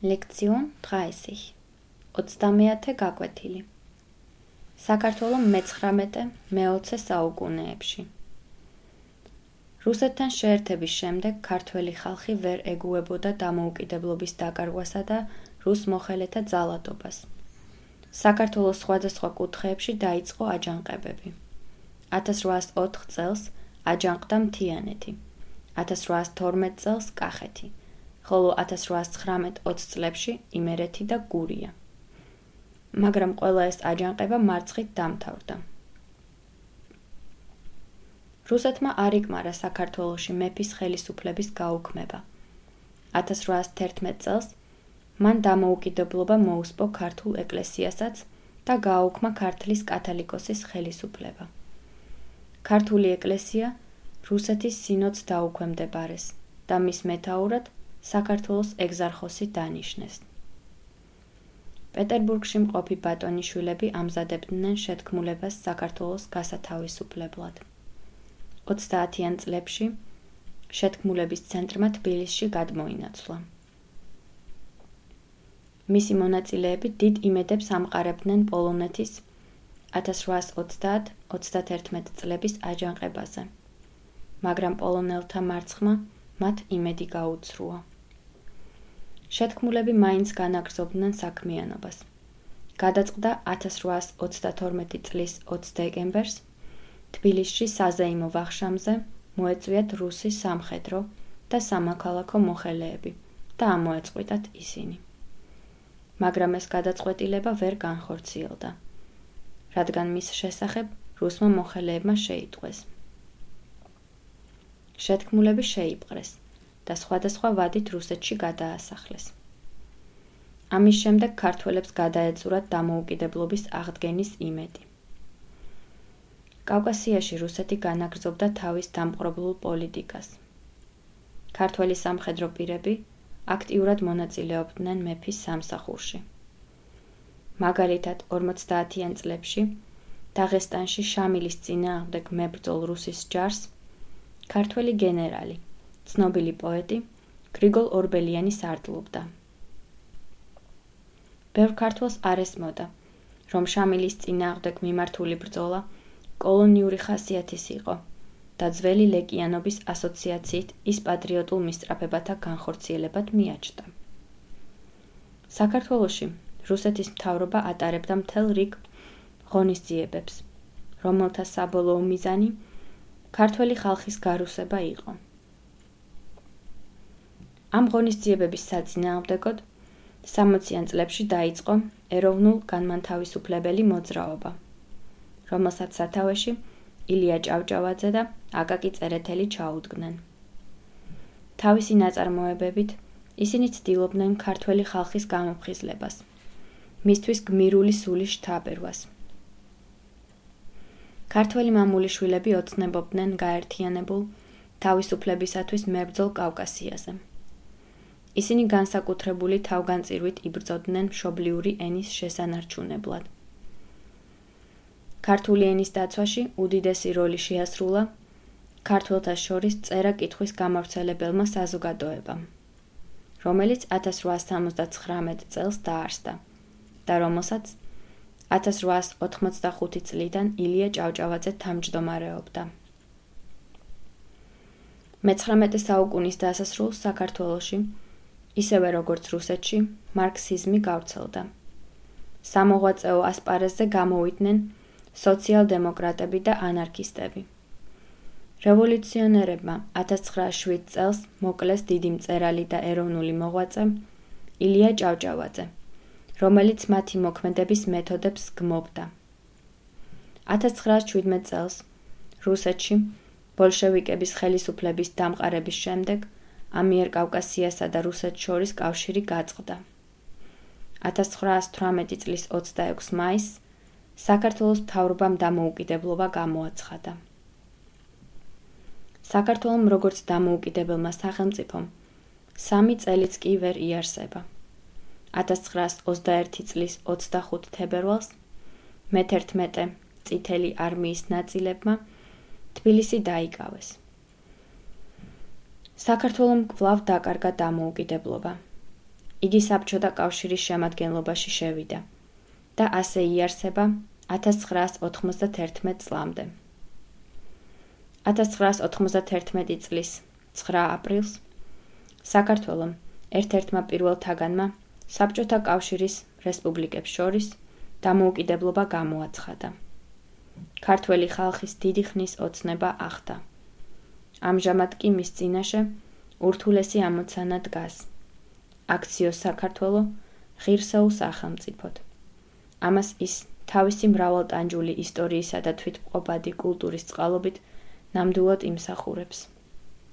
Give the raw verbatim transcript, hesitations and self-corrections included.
ლექციონ დღაესიხ. ოცდამეათე გაკვეთილი. საქართველო მეცხრამეტე მეოცე საუკუნეებში. რუსეთთან შეერთების შემდეგ ქართველი ხალხი ვერ ეგუებოდა დამოუკიდებლობის დაკარგვასა და რუს მოხელეთა ძალადობას. საქართველოს სხვადასხვა კუთხეებში დაიწყო აჯანყებები. ათას რვაას ოთხ წელს აჯანყდა მთიანეთი, ათას რვაას თორმეტ წელს კახეთი, ხოლო ათას რვაას ცხრამეტ ოცი წლებში იმერეთი და გურია. მაგრამ ყველა ეს აჯანყება მარცხით დამთავრდა. რუსეთმა არ იკმარა საქართველოში მეფის ხელისუფლების გაუქმება. ათას რვაას თერთმეტ წელს მან დამოუკიდებლობა მოუსპო ქართულ ეკლესიასაც და გააუქმა ქართლის კათალიკოსის ხელისუფლება. ქართული ეკლესია რუსეთის სინოდს დაუქვემდებარეს და მის მეთაურად საქართველოს ეგზარხოსი დანიშნეს. პეტერბურგში მყოფი ბატონიშვილები ამზადებდნენ შეთქმულებას საქართველოს გასათავისუფლებლად. ოცდაათიან წლებში შეთქმულების ცენტრმა თბილისში გადმოინაცვლა. მისი მონაწილეები დიდ იმედებს ამყარებდნენ პოლონეთის ათას რვაას ოცდაათ ოცდათერთმეტ წლების აჯანყებაზე, მაგრამ პოლონელთა მარცხმა მათ იმედი გაუცრუა. შეთქმულები მაინც განაგრძობდნენ საქმიანობას. გადაწყდა ათას რვაას ოცდათორმეტი წლის ოცი დეკემბერს თბილისში საზეიმო ვახშამზე მოეწვიათ რუსი სამხედრო და სამოქალაქო მოხელეები და ამოეწყვიტათ ისინი. მაგრამ ეს გადაწყვეტილება ვერ განხორციელდა, რადგან მის შესახებ რუსმა მოხელეებმა შეიტყვეს. შეთქმულები შეიპყრეს და სხვადასხვა ვადით რუსეთში გადაასახლეს. ამის შემდეგ ქართველებს გადაეწურათ დამოუკიდებლობის აღდგენის იმედი. კავკასიაში რუსეთი განაგრძობდა თავის დამპყრობლულ პოლიტიკას. ქართველი სამხედრო პირები აქტიურად მონაწილეობდნენ მეფის სამსახურში. მაგალითად, ორმოცდაათიან წლებში დაღესტანში შამილის წინააღმდეგ მებრძოლ რუსის ჯარს ქართველი გენერალი, ცნობილი პოეტი გრიგოლ ორბელიანი სარდლობდა. ბევრ ქართველს არ ესმოდა, რომ შამილის წინააღმდეგ მიმართული ბრძოლა კოლონიური ხასიათის იყო და ძველი ლეკიანობის ასოციაციით ის პატრიოტულ მისწრაფებათა განხორციელებად მიაჩნდა. საქართველოში რუსეთის მთავრობა ატარებდა მთელ რიგ ღონისძიებებს, რომელთა საბოლოო მიზანი ქართველი ხალხის გარუსება იყო. ამ ღონისძიებების საწინააღმდეგოდ სამოციან წლებში დაიწყო ეროვნულ-განმათავისუფლებელი მოძრაობა, რომელსაც სათავეში ილია ჭავჭავაძე და აკაკი წერეთელი ჩაუდგნენ. თავისი ნაწარმოებებით ისინი ცდილობდნენ ქართველი ხალხის გამოფხიზლებას, მისთვის გმირული სულის შთაბერვას. ქართველი მამულიშვილები ოცნებობდნენ გაერთიანებულ თავისუფლებისათვის მებრძოლ კავკასიაზე. ისინი განსაკუთრებული თავგანწირვით იბრძოდნენ მშობლიური ენის შესანარჩუნებლად. ქართული ენის დაცვაში უდიდესი როლი შეასრულა ქართველთა შორის წერა-კითხვის გამავრცელებელმა საზოგადოებამ, რომელიც ათას რვაას სამოცდაცხრამეტ წელს დაარსდა და რომელსაც ათას რვაას ოთხმოცდახუთი წლიდან ილია ჭავჭავაძე თავმჯდომარეობდა. მეცხრამეტე საუკუნის დასასრულს საქართველოში, ისევე როგორც რუსეთში, მარქსიზმი გავრცელდა. სამოღვაწეო ასპარეზზე გამოვიდნენ სოციალ-დემოკრატები და ანარქისტები. რევოლუციონერებმა ათას ცხრაას შვიდ წელს მოკლეს დიდი მწერალი და ეროვნული მოღვაწე ილია ჭავჭავაძე, რომელიც მათი მოქმედების მეთოდებს გმობდა. ათას ცხრაას შვიდმეტ წელს რუსეთში ბოლშევიკების ხელისუფლების დამყარების შემდეგ ამიერკავკასიასა და რუსეთს შორის კავშირი გაწყდა. ათას ცხრაას თვრამეტი წლის ოცდაექვსი მაისს საქართველოს მთავრობამ დამოუკიდებლობა გამოაცხადა. საქართველომ როგორც დამოუკიდებელმა სახელმწიფომ სამი წელიც კი ვერ იარსება. ათას ცხრაას ოცდაერთი წლის ოცდახუთ თებერვალს მეთერთმეტე წითელი არმიის ნაწილებმა თბილისი დაიკავეს. საქართველომ კვლავ დაკარგა დამოუკიდებლობა. იგი საბჭოთა კავშირის შემადგენლობაში შევიდა და ასე იარსება ათას ცხრაას ოთხმოცდათერთმეტ წლამდე. ათას ცხრაას ოთხმოცდათერთმეტი წლის ცხრა აპრილს საქართველომ ერთ-ერთმა პირველ თაგანმა საბჭოთა კავშირის რესპუბლიკებს შორის დამოუკიდებლობა გამოაცხადა. ქართველი ხალხის დიდი ხნის ოცნება ახდა. ამჟამად კი მის წინაშე ურთულესი ამოცანა დგას. აქციო საქართველო ღირსეულ სახელმწიფოდ. ამას ის თავისი მრავალტანჯული ისტორიისა და თვითმყოფადი კულტურის წყალობით ნამდვილად იმსახურებს.